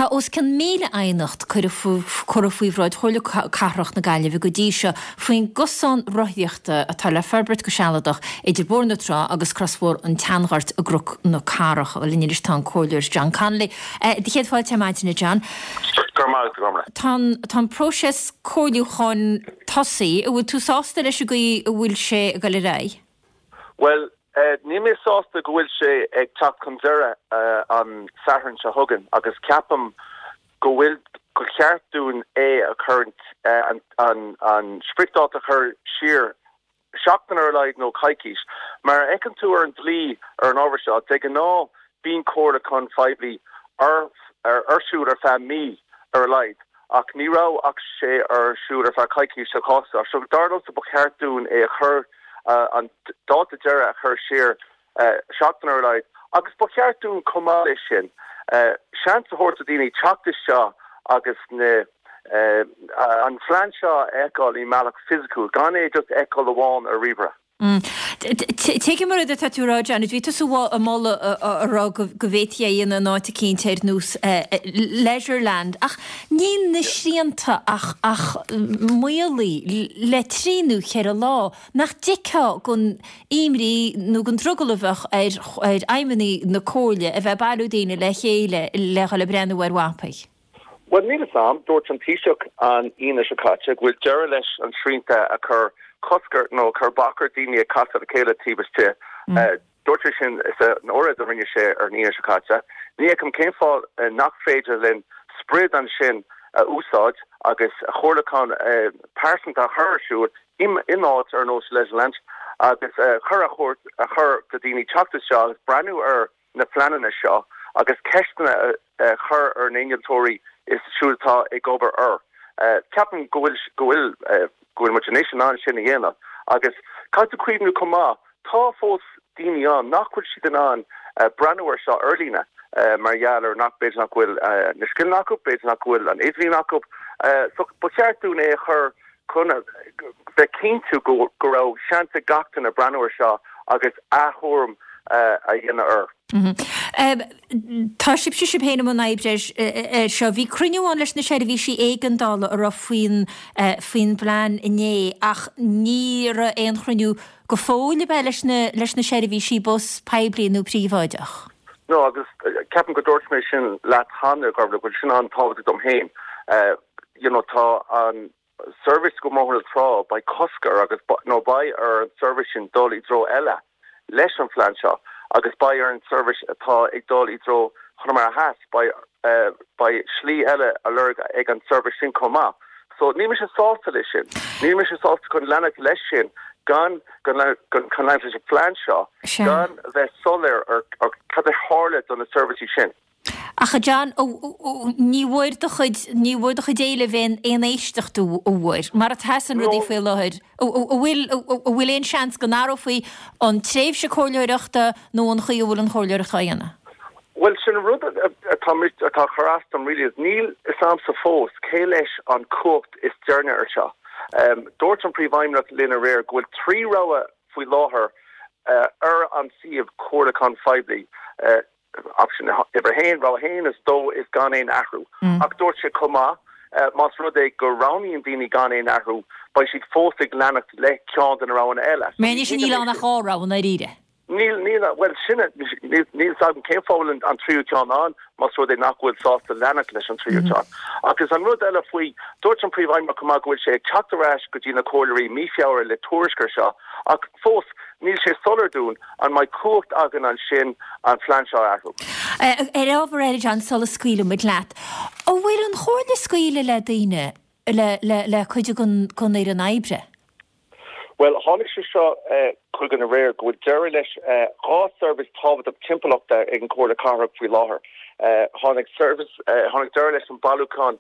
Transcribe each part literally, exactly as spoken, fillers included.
Tá os cionn míle aighneacht curtha faoi bhráid Chomhairle Cathrach na Gaillimhe go dtí seo faoin gcosán rothaíochta atá le forbairt go sealadach idir Bóthar na Trá agus Crosbhóthar an tSeanghoirt i gCnoc na Cathrach. Linn anois tá an Comhairleoir John Connolly. Do chéad fáilte ar maidin, a John. Tá an próiseas comhairliúcháin tosaithe, an bhfuil tú sásta leis an gcaoi a bhfuil sé ag dul ar aghaidh? Well, níl mé sásta go bhfuil sé ag teacht chun deireadh an Satharn seo chugainn agus ceapaim go bhfuil go cheart dúinn é a chur an an spriocdháta a chur siar seachtain ar a laghad nó coicís. Mar a fheiceann tú ar an dlí ar an ábhar seo, de ghnáth bíonn comhairliúchán phoiblí ar ar siúl ar feadh mí ar a laghad, ach ní raibh ach sé ar siúl ar feadh coicís sa chás seo. So dar liomsa ba cheart dúinn é a chur an dáta deireadh a chur siar seachtain ar a laghad, agus ba cheart dúinn chomh maith leis sin seans a thabhairt do daoine teacht isteach agus na an phlean seo a fheiceáil i mbealach fisiciúil, gan é just fheiceáil amháin ar ríomhaire. Tuigim an rud atá tú a rá, John, bhí tusa ag moladh a rá go bhféadfaí é a dhéanamh in áit eicínt ar nós Leisureland, ach níl na srianta ach ach maolaithe le trí nó ceithre lá. Nach dtuigfeá don imní nó don drogall a bheadh ar ar fheidhmeannaigh na comhairle a bheith ag bailiú daoine le chéile le dhul ag breathnú ar mhapaí? Well, níl a fhios agam, dúirt an Taoiseach an Aoine seo caite go bhfuil deireadh leis an srianta a chur cosc ar nó chur bac ar daoine ag casadh le chéile taobh istigh. Dúirt sé sin san óráid a rinne sé ar an Aoine seo caite. Ní fheicim cén fáth nach féidir linn sprid ansin a úsáid agus comhairliúchán pearsanta a chur ar siúl in áit ar nós Leisureland agus chur a chur a chur do daoine teacht isteach agus breathnú ar na pleananna seo agus ceisteanna a chur ar na innealtóirí is siúd atá ag obair air. Ceapaim go bhfuil go bhfuil go bhfuil muid anois in ann sin a dhéanamh agus caithfidh tú cuimhniú chomh maith tá fós daoine ann nach bhfuil siad in ann breathnú ar seo ar líne mar gheall ar nach b'fhéidir nach bhfuil na scileanna acu, b'fhéidir nach bhfuil an idirlíon acu. So ba cheart dúinn é a chur chun bheith cinnte go go raibh seans ag gach duine breathnú ar seo agus athuairim a dhéanamh air. Tá sibhse sibh féin i mbun oibre ar seo. Bhí cruinniú ann leis na seirbhísí éigeandála a raibh faoin faoin bplean inné ach ní raibh aon chruinniú go fóill a bheith leis na leis na seirbhísí bus poiblí nó príobháideach. No agus ceapaim go dúirt mé sin leat cheana go bhfuil sin an-tábhachtach dom féin. You know, tá an service go Bóthar na Trá beidh cosc air agus nó beidh ar an service sin dul i dtreo eile leis an phlean seo agus beidh ar an service atá ag dul i dtreo Chonamara Theas beidh beidh slí eile a lorg ag an service sin chomh maith. So níl mise sásta leis sin. Níl mise sásta chun leanacht leis sin gan gan chun leanacht leis an phlean seo gan bheith soiléir ar ar cad a tharla do na seirbhísí sin. Ach a John, ní bhfuair do chuid ní bhfuair do chuid éilimh aon aon éisteacht an bhfuair, mar atá na rudaí faoi láthair, an bhfuil an bhfuil aon seans go n-athrófaí an tréimhse comhairleoireachta nó an chaoi a bhfuil an chomhairleoireacht á dhéanamh? Well sin rud atá atá chur as dom really is níl a fhios agamsa fós cé leis an cumhacht is deireanach ar seo. Um, dúirt an príomhfheidhmeannach linn aréir go bhfuil trí rogha faoi láthair uh, ar an suíomh comhairliúcháin phoiblí. Uh, option uimhir haon rogha haon is dó is gan aon athrú. Mm. Ach dúirt sé chomh maith uh, más rud é go roghnaíonn daoine gan aon athrú, beidh siad fós ag leanacht le ceann de na roghanna eile. Mé sin níl ann ach dhá rogha dáiríre. Níl níl well sin níl agam cén fáth an tríú ceann ann más rud é nach bhfuil sásta leanacht leis an tríú ceann. Agus an rud eile faoi dúirt an príomhfheidhmeannach go bhfuil sé ag teacht ar ais go dtí na comhairleoirí mí Feabhra le tuairisc air seo ach fós níl sé soiléir dúinn an mbeidh cumhacht againn ansin an phlean seo athrú. Ar ábhar eile John sula scaoilfimid leat. An bhfuil an chomhairle scaoileadh le daoine le le le cuid den den fhoireann oibre? Well tháinig sé seo chugainn aréir go bhfuil deireadh leis dhá service tábhachtach timpeallachta ag an Comhairle Cathrach faoi láthair. Tháinig service tháinig deireadh leis an bailiúchán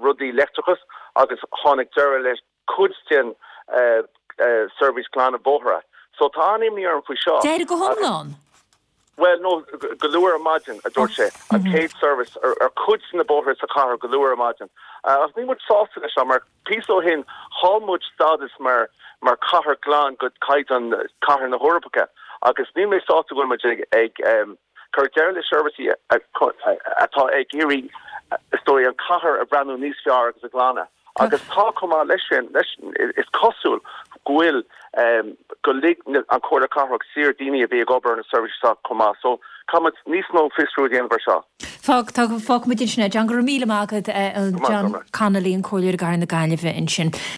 rudaí leictreachas agus tháinig deireadh leis cuid den service glanadh bóithre. So tá an-imní orm faoi seo. Deireadh go hiomlán? Well no go luath ar maidin a dúirt sé an chéad service ar, ar cuid na bóithre sa chathair go luath ar maidin. Uh, ach níl muid sásta leis seo mar píosa ó shin chaill muid stádas mar mar cathair glan go caighdeán cathair na hEorpa agus níl mé sásta go bhfuil muid ag ag um, Cuireadh deireadh le seirbhísí atá ag iarraidh is dóigh an chathair a bhreathnú níos fearr agus a ghlanadh. Agus tá chomh maith leis sin, leis is cosúil go bhfuil go lig an Chomhairle Cathrach saor daoine a bhí ag obair ar na seirbhísí seo chomh maith. So caithfimid níos mó fiosrú a dhéanamh ar seo. Fág, tá, fágfaimid ansin é. John, go raibh míle maith agat, John Connolly, an Comhairleoir i gCathair na Gaillimhe ansin.